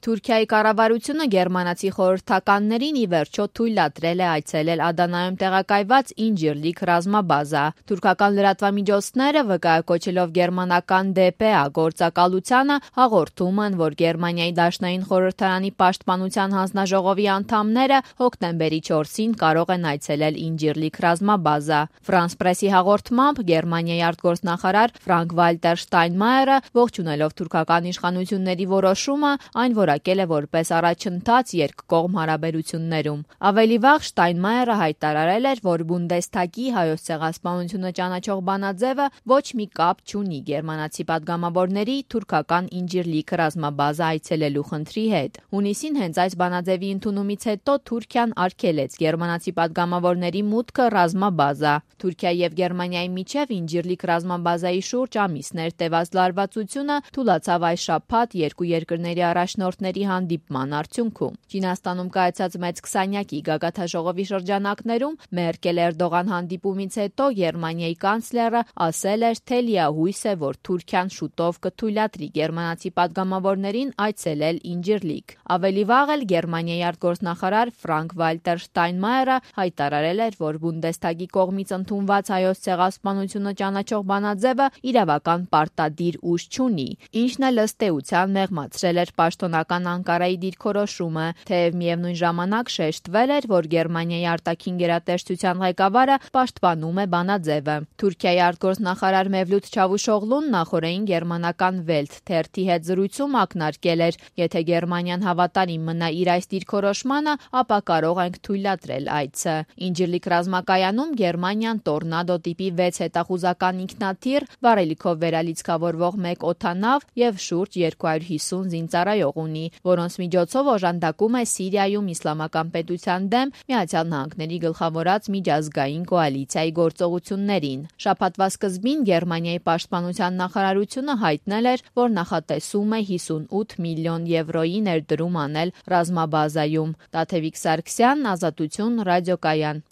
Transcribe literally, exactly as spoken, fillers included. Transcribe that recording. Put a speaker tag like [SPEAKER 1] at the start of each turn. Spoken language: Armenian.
[SPEAKER 1] Թուրքիայի կառավարությունը գերմանացի խորհրդականներին ի վերջո թույլատրել է այցելել Ադանայում տեղակայված Ինջիրլիկ ռազմաբազա։ Թուրքական լրատվամիջոցները, վկայակոչելով գերմանական դե պե է գործակալությանը, հաղորդում են, որ Գերմանիայի Դաշնային խորհրդարանի պաշտպանության հանձնաժողովի անդամները հոկտեմբերի չորսին կարող են այցելել Ինջիրլիկ ռազմաբազա։ Ֆրանս պրեսի հաղորդմամբ Գերմանիայի արտգործնախարար Ֆրանկ Վալտեր Շտայնմայերը, ողջունելով թուրքական իշխանությունների որոշումը, այն որակել է որպես առաջընթաց երկկողմ հարաբերություններում։ Ավելի վաղ Շտայնմայերը հայտարարել էր, որ Բունդեսթագի հայոց ցեղասպանությունը ճանաչող բանաձևը ոչ մի կապ չունի գերմանացի պատգամավորների թուրքական Ինջիրլիկ ռազմաբազա այցելելու խնդրի հետ։ Հունիսին հենց այս բանաձևի ընդունումից հետո Թուրքիան արգելեց գերմանացի պատգամավորների մուտքը ռազմաբազա։ Թուրքիայի եւ Գերմանիայի միջև Ինջիրլիկ ռազմաբազայի շուրջ ամիսներ տևած լարվածությունը թուլացավ այս շաբաթ երկու երկրների առաջնորդների հանդիպման արդյունքում։ Չինաստանում կայացած մեծ քսանյակի գագաթնաժողովի շրջանակներում Մերկել-Էրդողան հանդիպումից հետո Գերմանիայի կանցլերը ասել էր, թե լիահույս է, որ Թուրքիան շուտով կթույլատրի գերմանացի պատգամավորներին այցելել Ինջիրլիկ։ Ավելի վաղ էլ Գերմանիայի արտգործնախարար Ֆրանկ Վալտեր Շտայնմայերը հայտարարել էր, որ Բունդեսթագի կողմից ընդունված հայոց ցեղասպանությունը ճանաչող բանաձևը իրավական պարտադիր ուժ չունի, ինչն էլ ըստ էության մեղմացրել էր պաշտոնական Անկարայի դիրքորոշումը, թեև միևնույն ժամանակ շեշտվել էր, որ Գերմանիայի արտաքին գերատեսչության ղեկավարը պաշտպանում է բանաձևը։ Թուրքիայի արտգործնախարար Մևլութ Չավուշօղլուն նախորդին գերմանական Welt թերթի հետ զրույցում ակնարկել էր, եթե Գերմանիան հավատարիմ մնա իր այս դիրքորոշմանը, ապա կարող ենք թույլատրել այցը։ Ինջիրլիկ ռազմակայանում Գերմանիան Տորնադո տիպի վեց հետախուզական ինքնաթիռ, վառելիքով վերալիցքավորվող մեկ օդանավ եւ շուրջ երկու հարյուր հիսուն զինծառայող ունի, որոնց միջոցով օժանդակում է Սիրիայում իսլամական պետության դեմ Միացյալ Նահանգների գլխավորած միջազգային կոալիցիայի գործողություններին։ Շաբաթվա սկզբին Գերմանիայի պաշտպանության նախարարությունը հայտնել էր, որ նախատեսում է հիսունութ միլիոն եվրոյի ներդրում անել ռազմաբազայում։ Տաթևիկ Սարգսյան, Ազատություն, ռադիոկայան։